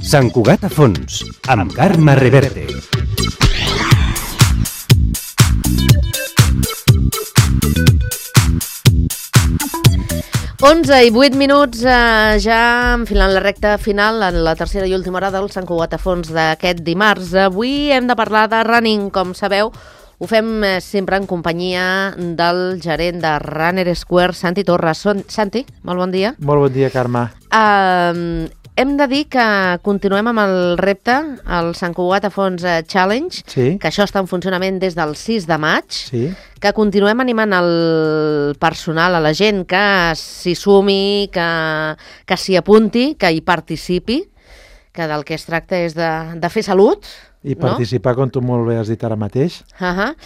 Sant Cugat a fons, amb Carme Reverte. Onze i 8 minuts, ja enfilant la recta final en la tercera i última hora del Sant Cugat a fons d'aquest dimarts. Avui hem de parlar de running, com sabeu. Ho fem sempre en companyia del gerent de Runner Square, Santi Torres. Santi, molt bon dia. Molt bon dia, Carme. Hem de dir que continuem amb el repte, el Sant Cugat a fons Challenge, Sí. que això està en funcionament des del 6 de maig, Sí. que continuem animant el personal, a la gent que s'hi sumi, que s'hi apunti, que hi participi, que del que es tracta és de fer salut. I participar, com tu molt bé has dit ara mateix. A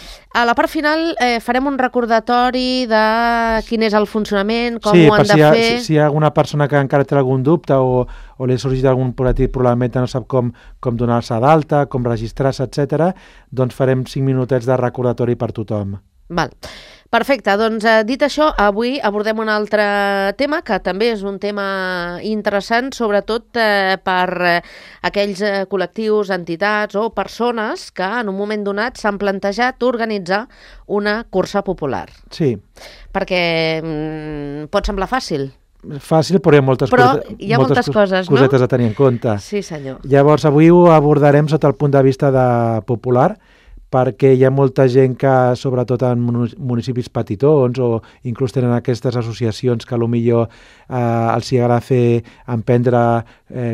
la part final farem un recordatori de quin és el funcionament, com sí, ho han de fer. Si hi ha alguna persona que encara té algun dubte o li ha sorgit algun petit problema i no sap com donar-se d'alta, com registrar-se, etc., doncs farem 5 minutets de recordatori per tothom. Val. Perfecte, doncs dit això, avui abordem un altre tema que també és un tema interessant, sobretot per aquells col·lectius, entitats o persones que en un moment donat s'han plantejat organitzar una cursa popular. Sí. Perquè pot semblar fàcil. Fàcil, però hi ha moltes coses, no? Cosetes a tenir en compte. Sí, senyor. Llavors, avui ho abordarem sota el punt de vista de popular, perquè hi ha molta gent que, sobretot en municipis petitons o inclús tenen aquestes associacions que potser els agrada emprendre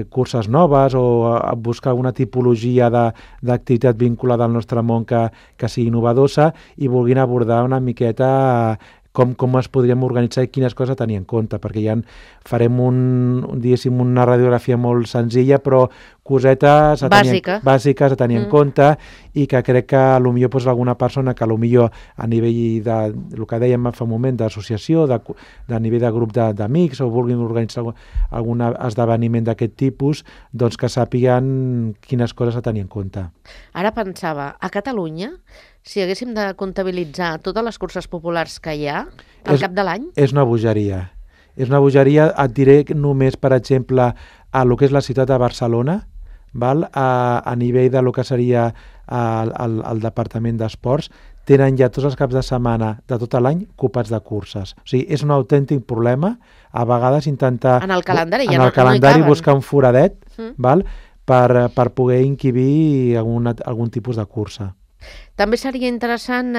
curses noves o buscar alguna tipologia d'activitat vinculada al nostre món que sigui innovadosa i vulguin abordar una miqueta com es podríem organitzar i quines coses a tenir en compte, perquè farem una radiografia molt senzilla, però cosetes bàsiques a tenir en compte i que crec que potser alguna persona que potser a nivell de, el que dèiem fa un moment, d'associació, de nivell de grup d'amics o vulguin organitzar algun esdeveniment d'aquest tipus, doncs que sàpiguen quines coses a tenir en compte. Ara pensava, a Catalunya, si haguéssim de comptabilitzar totes les curses populars que hi ha al cap de l'any... És una bogeria. És una bogeria, et diré només, per exemple, a lo que és la ciutat de Barcelona, a nivell de lo que seria el Departament d'Esports, tenen ja tots els caps de setmana de tot l'any ocupats de curses. O sigui, és un autèntic problema, a vegades intentar... En el calendari ja no hi caben. Buscar un foradet per poder inquibir algun tipus de cursa. També seria interessant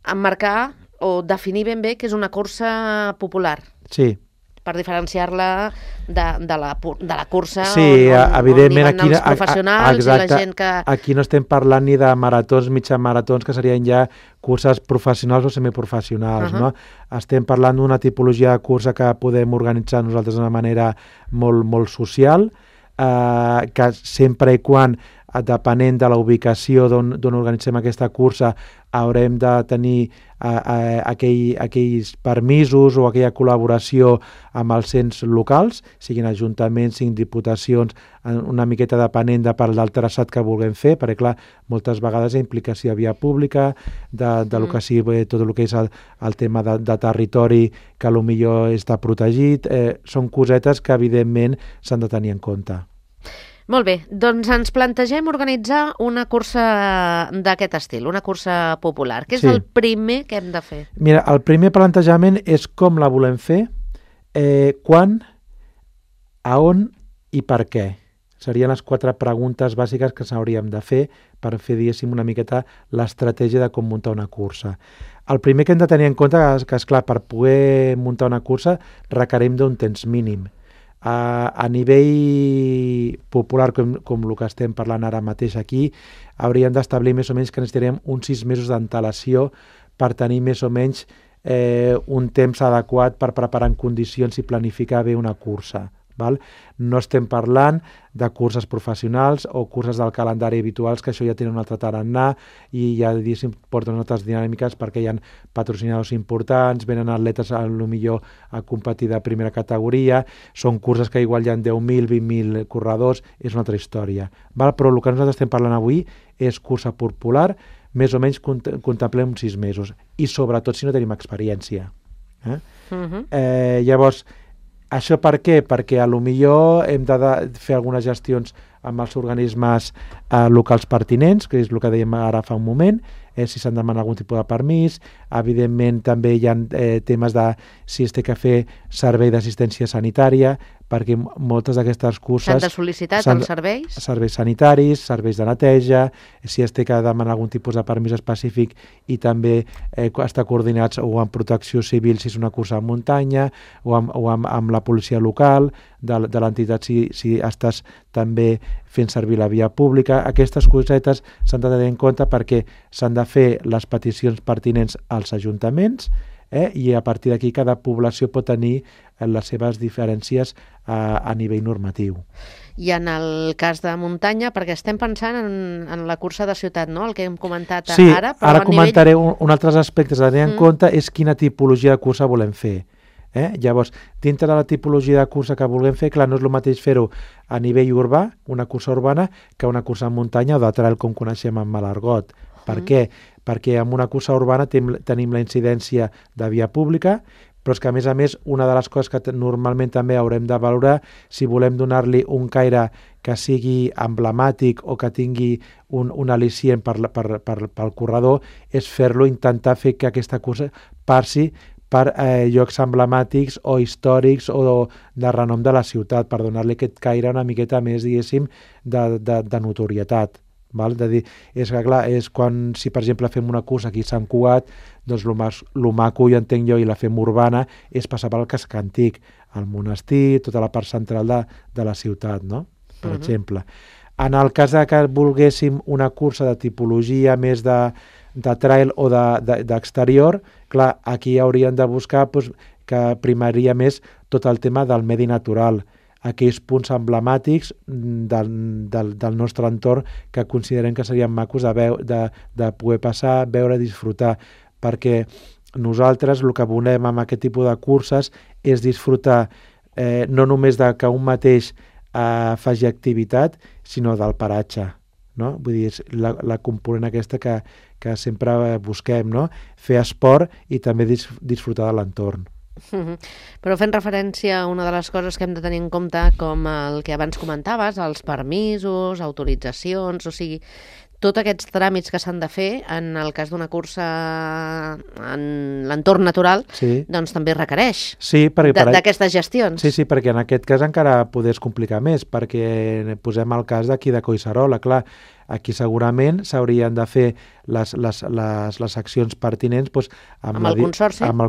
emmarcar o definir ben bé què és una cursa popular. Sí. Per diferenciar-la de la cursa evidentment, on hi van els professionals i la gent que... Aquí no estem parlant ni de maratons, mitja maratons, que serien ja curses professionals o semiprofessionals, no? Estem parlant d'una tipologia de cursa que podem organitzar nosaltres d'una manera molt, molt social, que sempre i quan, depenent de la ubicació d'on organitzem aquesta cursa, haurem de tenir aquells permisos o aquella col·laboració amb els ens locals, siguin ajuntaments, siguin diputacions, una miqueta depenent del traçat que vulguem fer, perquè clar, moltes vegades hi ha implicació de via pública, del que sigui tot el que és el tema de territori que potser està protegit, són cosetes que evidentment s'han de tenir en compte. Molt bé, doncs ens plantegem organitzar una cursa d'aquest estil, una cursa popular. Què és el primer que hem de fer? Mira, el primer plantejament és com la volem fer, quan, a on i per què. Serien les 4 preguntes bàsiques que s'hauríem de fer per fer, diguéssim, una miqueta l'estratègia de com muntar una cursa. El primer que hem de tenir en compte és que, esclar, per poder muntar una cursa requerim d'un temps mínim. A nivell popular, com el que estem parlant ara mateix aquí, hauríem d'establir més o menys que necessitaríem uns 6 mesos d'antelació per tenir més o menys un temps adequat per preparar en condicions i planificar bé una cursa. Val? No estem parlant de curses professionals o curses del calendari habituals, que això ja tenen un altre tarannà i ja porten altres dinàmiques perquè hi ha patrocinadors importants, venen atletes millor a competir de primera categoria, són curses que igual hi ha 10.000, 20.000 corredors, és una altra història. Val? Però el que nosaltres estem parlant avui és cursa popular, més o menys contemplem 6 mesos, i sobretot si no tenim experiència. Llavors, això per què? Perquè a lo millor hem de fer algunes gestions amb els organismes locals pertinents, que és el que dèiem ara fa un moment, si s'han de demanar algun tipus de permís. Evidentment també hi ha temes de si es té que fer servei d'assistència sanitària, perquè moltes d'aquestes curses... S'han de sol·licitar els serveis? Serveis sanitaris, serveis de neteja, si es té que demanar algun tipus de permís específic i també estar coordinats o amb protecció civil si és una cursa de muntanya o amb la policia local de l'entitat si estàs també fent servir la via pública. Aquestes cosetes s'han de tenir en compte perquè s'han de fer les peticions pertinents als ajuntaments i a partir d'aquí cada població pot tenir les seves diferències a nivell normatiu. I en el cas de muntanya, perquè estem pensant en la cursa de ciutat, no? El que hem comentat sí, ara. Però ara comentaré un altres aspectes a tenir en compte, és quina tipologia de cursa volem fer. Llavors, dintre de la tipologia de cursa que vulguem fer, clar, no és el mateix fer-ho a nivell urbà, una cursa urbana, que una cursa en muntanya o de trail com coneixem en Malargot. Per què? Perquè en una cursa urbana tenim la incidència de via pública, però és que a més una de les coses que normalment també haurem de valorar, si volem donar-li un caire que sigui emblemàtic o que tingui un al·licient pel corredor, és fer-lo, intentar fer que aquesta cursa passi per llocs emblemàtics o històrics o de renom de la ciutat, per donar-li aquest caire una miqueta més, diguéssim, de notorietat. Val? De dir, és que clar, és quan, si per exemple fem una cursa aquí a Sant Cugat, doncs el maco, jo entenc jo, i la fem urbana, és passar pel casc antic, el monestir, tota la part central de la ciutat, no? Per exemple. En el cas que volguéssim una cursa de tipologia més de trail o d'exterior, clar, aquí hauríem de buscar que primaria més tot el tema del medi natural, aquells punts emblemàtics del nostre entorn que considerem que serien macos de poder passar, veure, disfrutar, perquè nosaltres el que volem amb aquest tipus de curses és disfrutar no només de que un mateix faci activitat, sinó del paratge. No? Vull dir, és la component aquesta que sempre busquem, no? Fer esport i també disfrutar de l'entorn. Però fent referència a una de les coses que hem de tenir en compte, com el que abans comentaves, els permisos, autoritzacions, o sigui, tots aquests tràmits que s'han de fer en el cas d'una cursa en l'entorn natural, doncs també requereix d'aquestes gestions. Sí, perquè en aquest cas encara podés complicar més, perquè posem el cas d'aquí de Collserola, clar, aquí segurament s'haurien de fer les accions pertinents amb el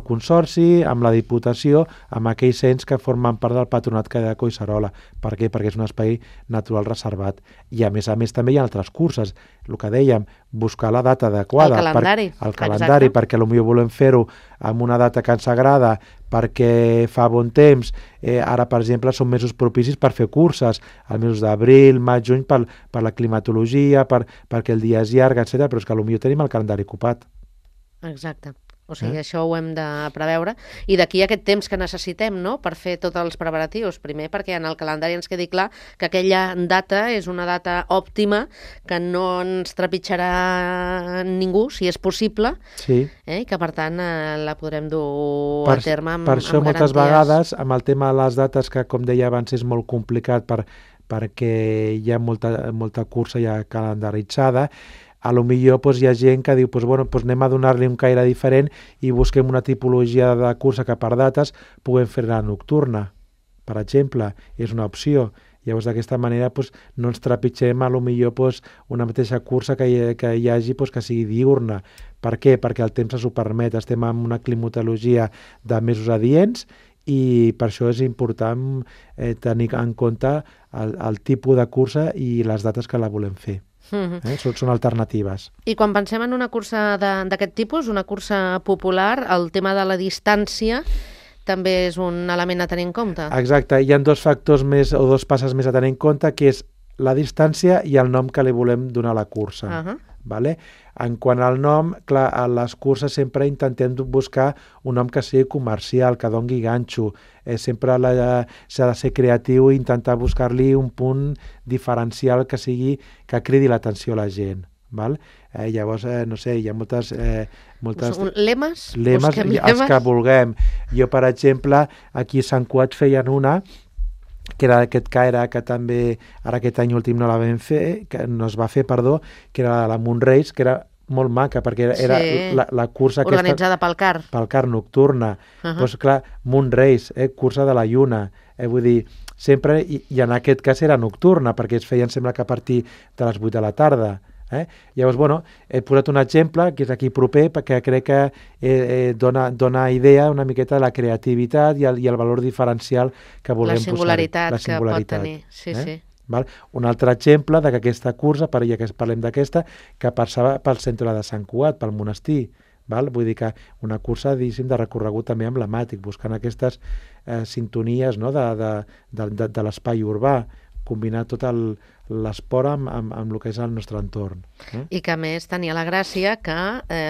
consorci, amb la Diputació, amb aquells ens que formen part del patronat que hi ha de Collserola. Per què? Perquè és un espai natural reservat. I a més també hi ha altres curses. El que dèiem, buscar la data adequada. El calendari, perquè potser volem fer-ho amb una data que ens agrada, perquè fa bon temps. Ara, per exemple, són mesos propicis per fer curses, els mesos d'abril, maig, juny, per la climatologia, perquè el dia és llarg, etc. Però és que potser tenim el calendari ocupat. Exacte. O sigui, això ho hem de preveure. I d'aquí aquest temps que necessitem, no?, per fer tots els preparatius. Primer, perquè en el calendari ens quedi clar que aquella data és una data òptima, que no ens trepitjarà ningú, si és possible, i que, per tant, la podrem dur a terme amb garanties. Per això, moltes vegades, amb el tema de les dates, que, com deia abans, és molt complicat perquè hi ha molta cursa ja calendaritzada, a lo millor hi ha gent que diu anem a donar-li un caire diferent i busquem una tipologia de cursa que per dates puguem fer-la nocturna, per exemple, és una opció. Llavors, d'aquesta manera, no ens trepitgem a lo millor una mateixa cursa que hi hagi que sigui diurna. Per què? Perquè el temps s'ho permet. Estem en una climatologia de mesos adients i per això és important tenir en compte el tipus de cursa i les dates que la volem fer. Són alternatives. I quan pensem en una cursa d'aquest tipus, una cursa popular, el tema de la distància també és un element a tenir en compte. Exacte, hi ha dos factors més o dos passes més a tenir en compte, que és la distància i el nom que li volem donar a la cursa. Vale? En quant al nom, clar, a les curses sempre intentem buscar un nom que sigui comercial, que dongui ganxo. Sempre s'ha de ser creatiu i intentar buscar-li un punt diferencial que cridi l'atenció a la gent. Val? Llavors, no sé, hi ha moltes lemes? Els que vulguem. Jo, per exemple, aquí a Sant Cugat feien una que era aquest Caire, que també ara aquest any últim no la vam fer, que no es va fer, perdó, que era la Moonrace, que era molt maca, perquè era la cursa organitzada pel CAR. Pel CAR nocturna. Doncs clar, Moonrace, cursa de la lluna. Vull dir, sempre, i en aquest cas era nocturna, perquè es feien, sembla que a partir de les 8 de la tarda. Llavors, bueno, he posat un exemple que és aquí proper, perquè crec que dona idea una miqueta de la creativitat i el valor diferencial que volem posar. La singularitat que pot tenir, sí. Val? Un altre exemple d'aquesta cursa, ja que parlem d'aquesta, que passava pel centre de Sant Cugat, pel monestir. Val? Vull dir que una cursa, diguéssim, de recorregut també emblemàtic, buscant aquestes sintonies, no? de l'espai urbà, combinar tot l'esport amb el que és el nostre entorn. I que a més tenia la gràcia que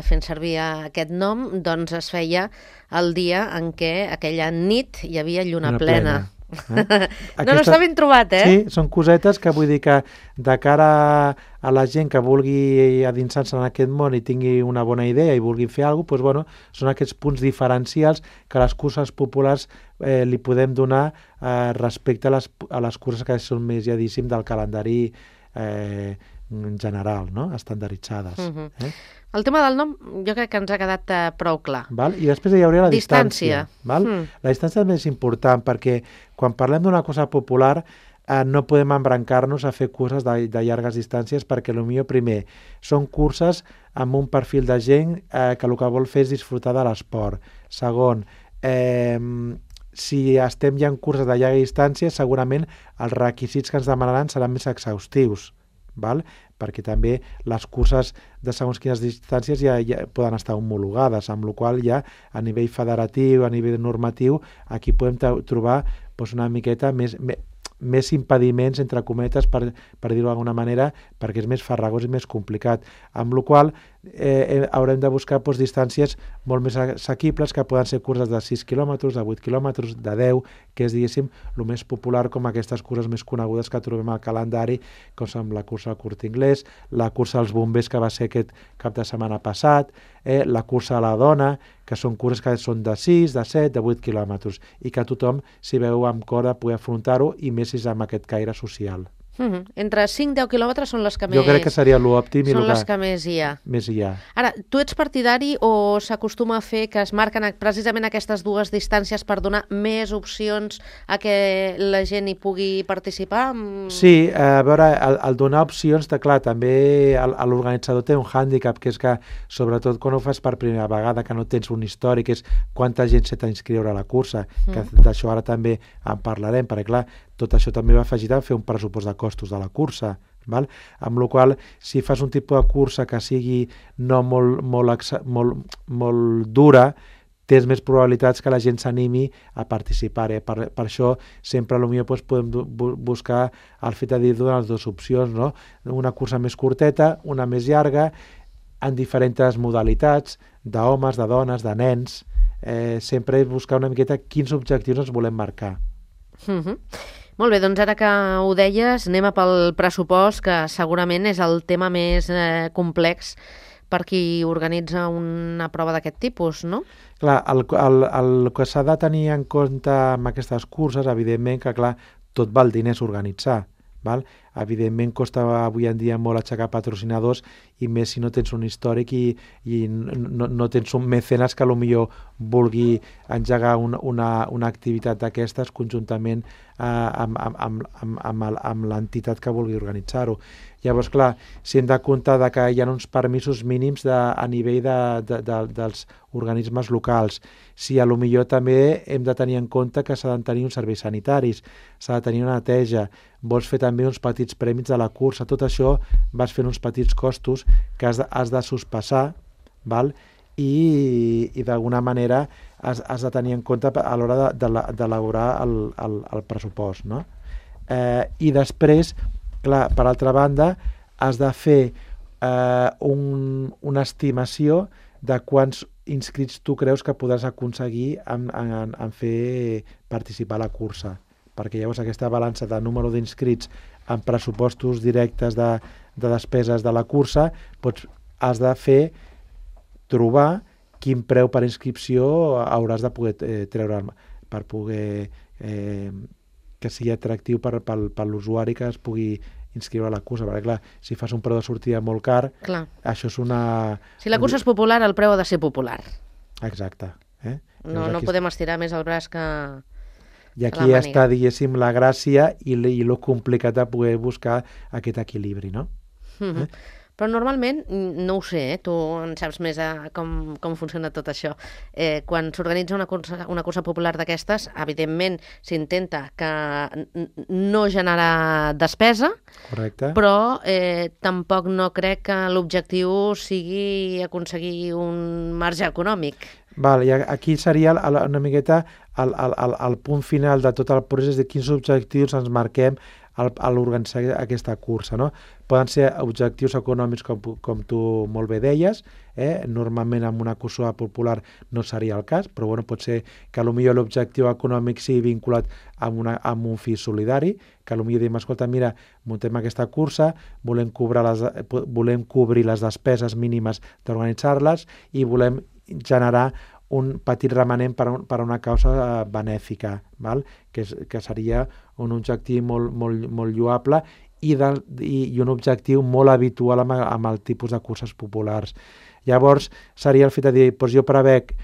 fent servir aquest nom doncs es feia el dia en què aquella nit hi havia lluna plena. No està ben trobat, Sí, són cosetes que vull dir que de cara a la gent que vulgui adinsar-se en aquest món i tingui una bona idea i vulgui fer alguna cosa, doncs, bueno, són aquests punts diferencials que a les curses populars li podem donar respecte a les curses que són més, ja diguéssim, del calendari en general, no? Estandarditzades. El tema del nom jo crec que ens ha quedat prou clar. Val? I després hi hauria la distància. Val? La distància també és important perquè quan parlem d'una cosa popular no podem embrancar-nos a fer curses de llargues distàncies perquè potser primer són curses amb un perfil de gent que el que vol fer és disfrutar de l'esport. Segon, si estem ja en curses de llarga distància, segurament els requisits que ens demanaran seran més exhaustius. Val? Perquè també les curses de segons quines distàncies ja poden estar homologades, amb la qual cosa ja a nivell federatiu, a nivell normatiu, aquí podem trobar una miqueta més impediments, entre cometes, per dir-ho d'alguna manera, perquè és més farragós i més complicat. Amb la qual cosa haurem de buscar distàncies molt més assequibles, que poden ser curses de 6 quilòmetres, de 8 quilòmetres, de 10, que és, diguéssim, el més popular, com aquestes curses més conegudes que trobem al calendari, com són la cursa del Corte Inglés, la cursa dels bombers, que va ser aquest cap de setmana passat, la cursa de la dona, que són curses que són de 6, de 7, de 8 quilòmetres, i que tothom s'hi veu amb cor de poder afrontar-ho, i més si és amb aquest caire social. Entre 5 i 10 quilòmetres són les que més... Jo crec que seria l'òptim. Són les que més hi ha. Més hi ha. Ara, tu ets partidari o s'acostuma a fer que es marquen precisament aquestes dues distàncies per donar més opcions a que la gent hi pugui participar? Sí, a veure, el donar opcions, clar, també l'organitzador té un hàndicap, que és que, sobretot quan ho fas per primera vegada, que no tens un històric, és quanta gent s'ha d'inscriure a la cursa, que d'això ara també en parlarem, perquè clar, tot això també va afegit a fer un pressupost de costos de la cursa, val? Amb la qual cosa, si fas un tipus de cursa que sigui no molt dura, tens més probabilitats que la gent s'animi a participar. Per això sempre potser podem buscar el fet de dir donar les dues opcions, no? Una cursa més curteta, una més llarga, en diferents modalitats, d'homes, de dones, de nens. Sempre buscar una miqueta quins objectius ens volem marcar. Molt bé, doncs ara que ho deies, anem a pel pressupost, que segurament és el tema més complex per qui organitza una prova d'aquest tipus, no? Clar, el que s'ha de tenir en compte amb aquestes curses, evidentment que, clar, tot val diners organitzar, val? Evidentment costa avui en dia molt aixecar patrocinadors, i més si no tens un històric i no tens un mecenes que potser vulgui engegar una activitat d'aquestes conjuntament amb l'entitat que vulgui organitzar-ho. Llavors, clar, si hem de comptar que hi ha uns permisos mínims a nivell dels organismes locals, si potser també hem de tenir en compte que s'ha de tenir uns serveis sanitaris, s'ha de tenir una neteja, vols fer també uns petits prèmits de la cursa, tot això vas fent uns petits costos que has de sospassar, val? i d'alguna manera has de tenir en compte a l'hora d'elaborar el pressupost, no? I després, clar, per altra banda, has de fer una estimació de quants inscrits tu creus que podràs aconseguir en fer participar a la cursa, perquè llavors aquesta balança de número d'inscrits en pressupostos directes de despeses de la cursa, has de trobar quin preu per inscripció hauràs de poder treure per poder que sigui atractiu per l'usuari que es pugui inscriure a la cursa, perquè clar, si fas un preu de sortida molt car, això és una... Si la cursa és popular, el preu ha de ser popular. Exacte. No podem estirar més el braç que... I aquí està, diguéssim, la gràcia i lo complicat de poder buscar aquest equilibri, no? Però normalment, no ho sé, tu en saps més com funciona tot això. Quan s'organitza una cursa popular d'aquestes, evidentment s'intenta que no generar despesa, correcte, però tampoc no crec que l'objectiu sigui aconseguir un marge econòmic. Val, i aquí seria una miqueta el punt final de tot el procés de quins objectius ens marquem a l'organitzar aquesta cursa, no? Poden ser objectius econòmics, com tu molt bé deies, normalment en una cursa popular no seria el cas, però bueno, pot ser que potser l'objectiu econòmic sigui vinculat amb un fi solidari, que potser diem, escolta, mira, muntem aquesta cursa, volem cobrir les despeses mínimes d'organitzar-les i volem generar un petit remanent per a una causa benèfica, val? Que seria un objectiu molt lloable i un objectiu molt habitual amb el tipus de curses populars. Llavors, seria el fet de dir, doncs jo prevec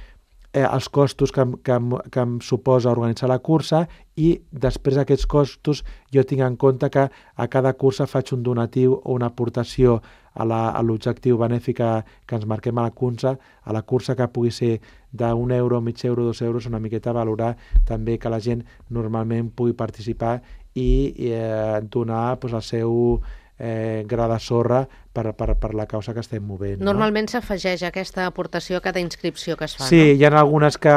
els costos que em suposa organitzar la cursa i després d'aquests costos jo tinc en compte que a cada cursa faig un donatiu o una aportació a l'objectiu benèfic que ens marquem a la cursa que pugui ser d'1 euro, mig euro, 2 euros, una miqueta valorar també que la gent normalment pugui participar i donar el seu gra de sorra per la causa que estem movent. Normalment s'afegeix aquesta aportació a cada inscripció que es fa, sí, no? Hi ha algunes que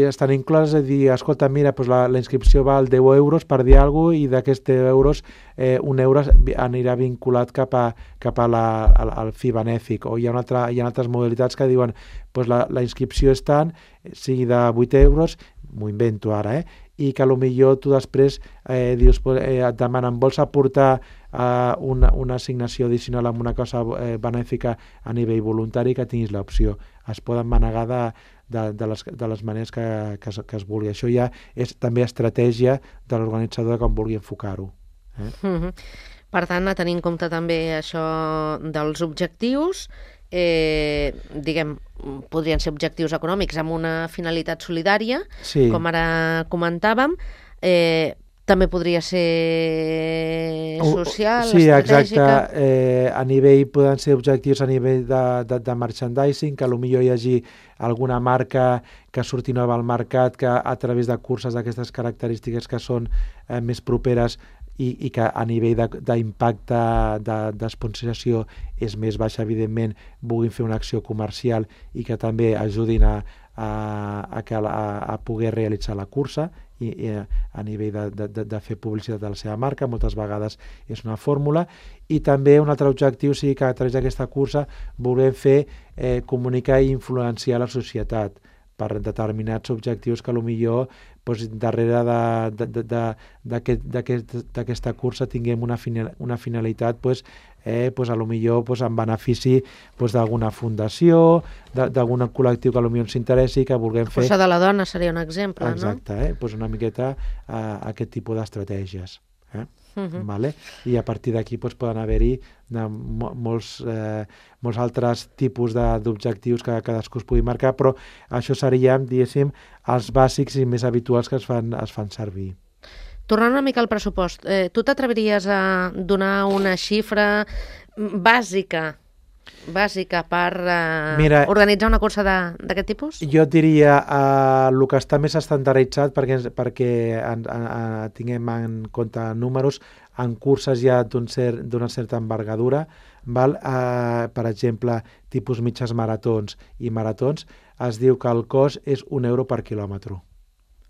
estan incloses, de dir, escolta, mira, la inscripció val 10 euros per dir alguna cosa i d'aquests 10 euros, 1 euro anirà vinculat cap al fi benèfic. O hi ha altres modalitats que diuen la inscripció és tant, sigui de 8 euros, m'ho invento ara, i que potser tu després dius, et demanen, vols aportar una assignació addicional amb una cosa benèfica a nivell voluntari, que tinguis l'opció. Es poden manegar de les maneres que es vulgui. Això ja és també estratègia de l'organitzador de com vulgui enfocar-ho. Per tant, a tenir en compte també això dels objectius, podrien ser objectius econòmics amb una finalitat solidària, sí, com ara comentàvem, també podria ser social, sí, estratègica. Exacte. A nivell, poden ser objectius a nivell de merchandising, que potser hi hagi alguna marca que surti nova al mercat, que a través de curses d'aquestes característiques que són més properes i que a nivell d'impacte d'esponsorització és més baixa, evidentment, vulguin fer una acció comercial i que també ajudin a poder realitzar la cursa i a nivell de fer publicitat de la seva marca. Moltes vegades és una fórmula. I també un altre objectiu sigui que a través d'aquesta cursa volem fer comunicar i influenciar la societat per determinats objectius que potser darrere d'aquesta cursa tinguem una finalitat en benefici d'alguna fundació, d'algun col·lectiu que potser ens interessi, que vulguem fer... Cursa de la dona seria un exemple, exacte, no? Una miqueta aquest tipus d'estratègies. Vale? I a partir d'aquí poden haver-hi molts altres tipus d'objectius que cadascú es pugui marcar, però això serien, diguéssim, els bàsics i més habituals que es fan servir. Tornant una mica al pressupost, tu t'atreviries a donar una xifra bàsica bàsica per Mira, organitzar una cursa d'aquest tipus? Jo et diria el que està més estandarditzat perquè tinguem en compte números en curses ja d'una certa envergadura, val? Per exemple, tipus mitges maratons i maratons, es diu que el cost és €1 per quilòmetre.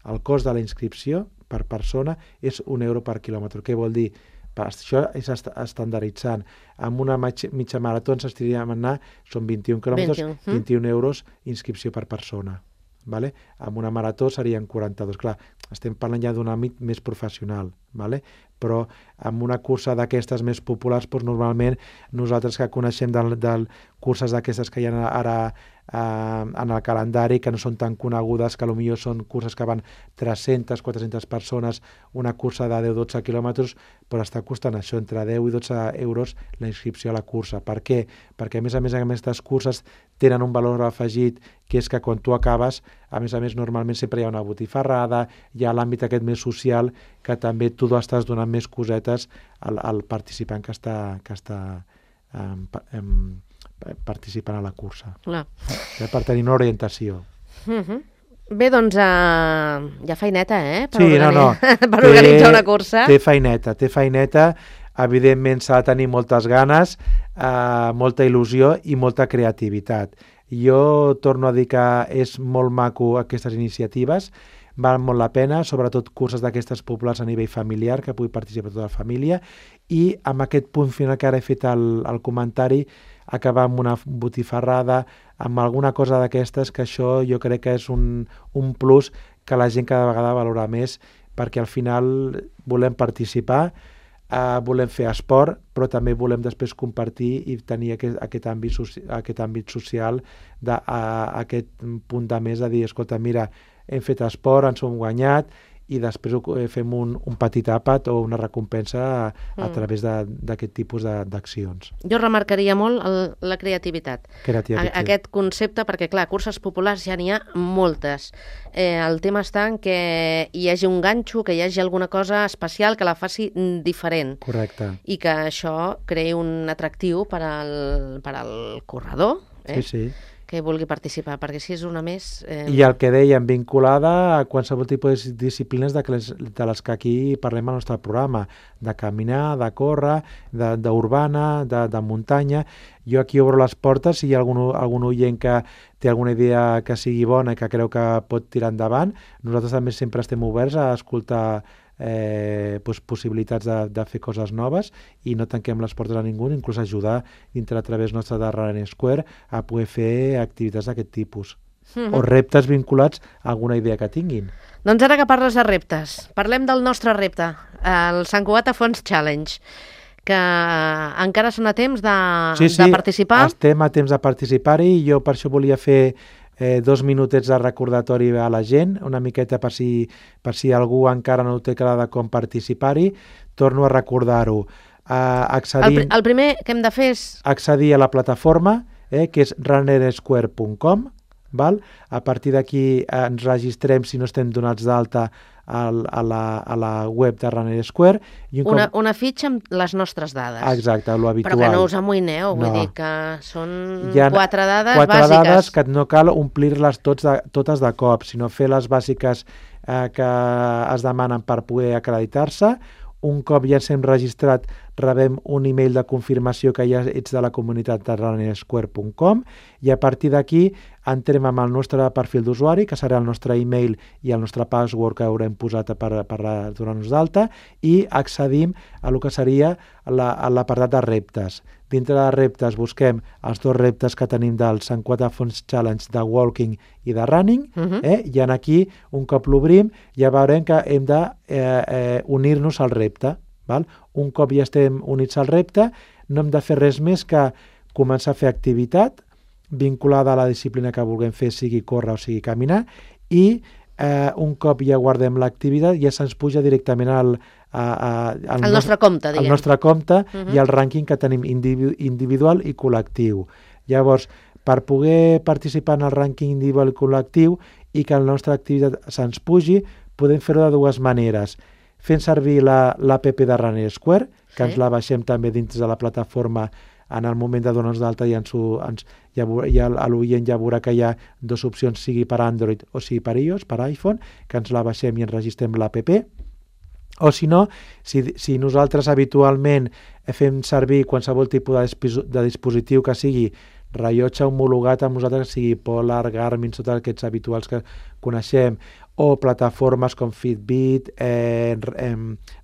El cost de la inscripció per persona és €1 per quilòmetre. Què vol dir? Això és estandarditzant. Amb una mitja marató s'estiria a anar, són 21 quilòmetres, 21 euros inscripció per persona. Vale? Amb una marató serien 42. Clar, estem parlant ja d'un àmbit més professional, vale? Però amb una cursa d'aquestes més populars, doncs normalment nosaltres que coneixem de curses d'aquestes que hi ha ara en el calendari, que no són tan conegudes, que potser són curses que van 300, 400 persones, una cursa de 10-12 quilòmetres, però està costant això, entre 10 i 12 euros la inscripció a la cursa. Per què? Perquè a més aquestes curses tenen un valor afegit, que és que quan tu acabes, a més normalment sempre hi ha una botifarrada, hi ha l'àmbit aquest més social, que també tu estàs donant més cosetes al participant que està participant a la cursa. Clar. Per tenir una orientació. Bé, doncs hi ha feineta, per per organitzar una cursa. Té feineta. Evidentment s'ha de tenir moltes ganes, molta il·lusió i molta creativitat. Jo torno a dir que és molt maco aquestes iniciatives, val molt la pena, sobretot curses d'aquestes populars a nivell familiar, que pugui participar tota la família, i amb aquest punt final que ara he fet el comentari, acabar amb una botifarrada, amb alguna cosa d'aquestes, que això jo crec que és un plus que la gent cada vegada valora més, perquè al final volem participar, volem fer esport, però també volem després compartir i tenir aquest àmbit social, aquest punt de més de dir, escolta, mira, hem fet esport, ens hem guanyat, i després fem un petit àpat o una recompensa a través d'aquest tipus d'accions. Jo remarcaria molt la creativitat. Aquest concepte, perquè clar, curses populars ja n'hi ha moltes. El tema està en que hi hagi un ganxo, que hi hagi alguna cosa especial que la faci diferent. Correcte. I que això creï un atractiu per al corredor. Sí. Que vulgui participar, perquè si és una més... I el que dèiem, vinculada a qualsevol tipus de disciplines de les que aquí parlem al nostre programa, de caminar, de córrer, d'urbana, de muntanya. Jo aquí obro les portes, si hi ha algun oient que té alguna idea que sigui bona i que creu que pot tirar endavant, nosaltres també sempre estem oberts a escoltar possibilitats de fer coses noves i no tanquem les portes a ningú, inclús ajudar dintre a través nostre de Running Square a poder fer activitats d'aquest tipus o reptes vinculats a alguna idea que tinguin. Doncs ara que parles de reptes, parlem del nostre repte, el Sant Cugat Fons Challenge, que encara són a temps de participar. Sí, estem a temps de participar-hi i jo per això volia fer 2 minutets de recordatori a la gent, una miqueta per si algú encara no té clar de com participar-hi. Torno a recordar-ho. El primer que hem de fer és... accedir a la plataforma, que és runnersquare.com. A partir d'aquí ens registrem si no estem donats d'alta a la web de Runner Square. Una fitxa amb les nostres dades. Exacte, l'habitual. Però que no us amoïneu, vull dir que són 4 dades bàsiques. 4 dades que no cal omplir-les totes de cop, sinó fer les bàsiques que es demanen per poder acreditar-se. Un cop ja ens hem registrat, rebem un email de confirmació que ja ets de la comunitat de runnersquare.com i a partir d'aquí entrem amb el nostre perfil d'usuari, que serà el nostre email i el nostre password que haurem posat per donar-nos d'alta, i accedim a el que seria l'apartat de reptes. Dintre de reptes busquem els 2 reptes que tenim del Sant Cugat Fons Challenge de walking i de running, i aquí, un cop l'obrim, ja veurem que hem d'unir-nos al repte. Un cop ja estem units al repte, no hem de fer res més que començar a fer activitat vinculada a la disciplina que vulguem fer, sigui córrer o sigui caminar, i un cop ja guardem l'activitat ja se'ns puja directament al nostre compte, diguem. Al nostre compte i al rànquing que tenim individual i col·lectiu. Llavors, per poder participar en el rànquing individual i col·lectiu i que la nostra activitat se'ns pugi, podem fer-ho de 2 maneres. Fent servir l'APP de Runner Square, que ens la baixem també dins de la plataforma en el moment de donar-nos d'alta l'oient ja veurà que hi ha dues opcions, sigui per Android o sigui per iOS, per iPhone, que ens la baixem i ens registrem l'APP. O si no, si nosaltres habitualment fem servir qualsevol tipus de dispositiu que sigui rellotge homologat amb nosaltres, que sigui Polar, Garmin, tots aquests habituals que coneixem, o plataformes com Fitbit,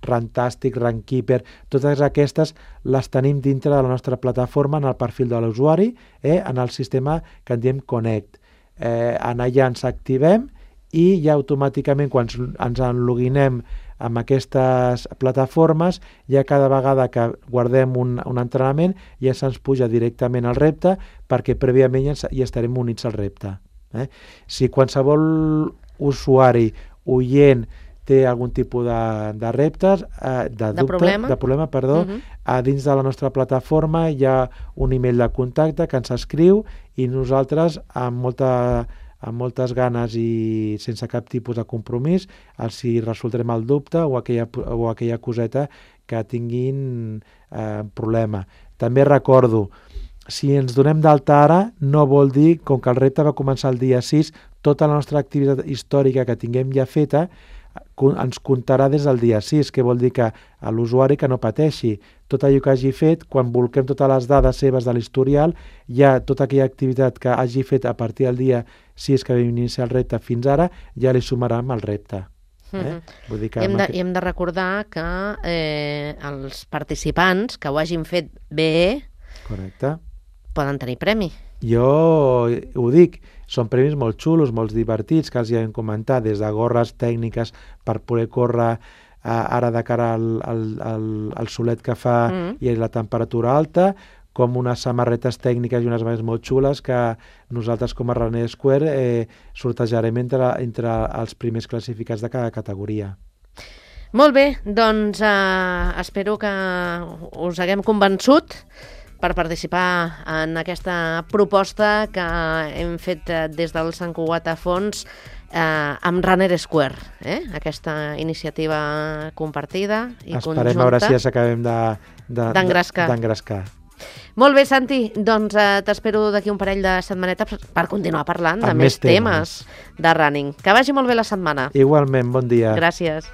Runtastic, Runkeeper, totes aquestes les tenim dintre de la nostra plataforma en el perfil de l'usuari, en el sistema que en diem Connect. En allà ens activem i ja automàticament quan ens enloginem amb aquestes plataformes, ja cada vegada que guardem un entrenament ja se'ns puja directament al repte perquè prèviament ja estarem units al repte. Si qualsevol usuari, oient, té algun tipus de reptes, de problema, dins de la nostra plataforma hi ha un email de contacte que ens escriu i nosaltres amb moltes ganes i sense cap tipus de compromís els hi resoldrem el dubte o aquella coseta que tinguin problema. També recordo, si ens donem d'alta ara, no vol dir, com que el repte va començar el dia 6, tota la nostra activitat històrica que tinguem ja feta ens comptarà des del dia 6, que vol dir que a l'usuari que no pateixi. Tot allò que hagi fet, quan volquem totes les dades seves de l'historial, ja tota aquella activitat que hagi fet a partir del dia 6 que vam iniciar el repte fins ara, ja li sumarà amb el repte. Vull dir que hem de recordar que els participants que ho hagin fet bé poden tenir premi. Jo ho dic, són premis molt xulos, molt divertits, que els hi hem comentat, des de gorres tècniques per poder córrer ara de cara al solet que fa i la temperatura alta, com unes samarretes tècniques i unes mans molt xules que nosaltres com a Running Square sortejarem entre els primers classificats de cada categoria. Molt bé, doncs espero que us haguem convençut per participar en aquesta proposta que hem fet des del Sant Cugat a Fons amb Runner Square, aquesta iniciativa compartida i conjunta. Esperem a veure si ja s'acabem d'engrescar. Molt bé, Santi, doncs t'espero d'aquí un parell de setmanetes per continuar parlant de més temes de running. Que vagi molt bé la setmana. Igualment, bon dia. Gràcies.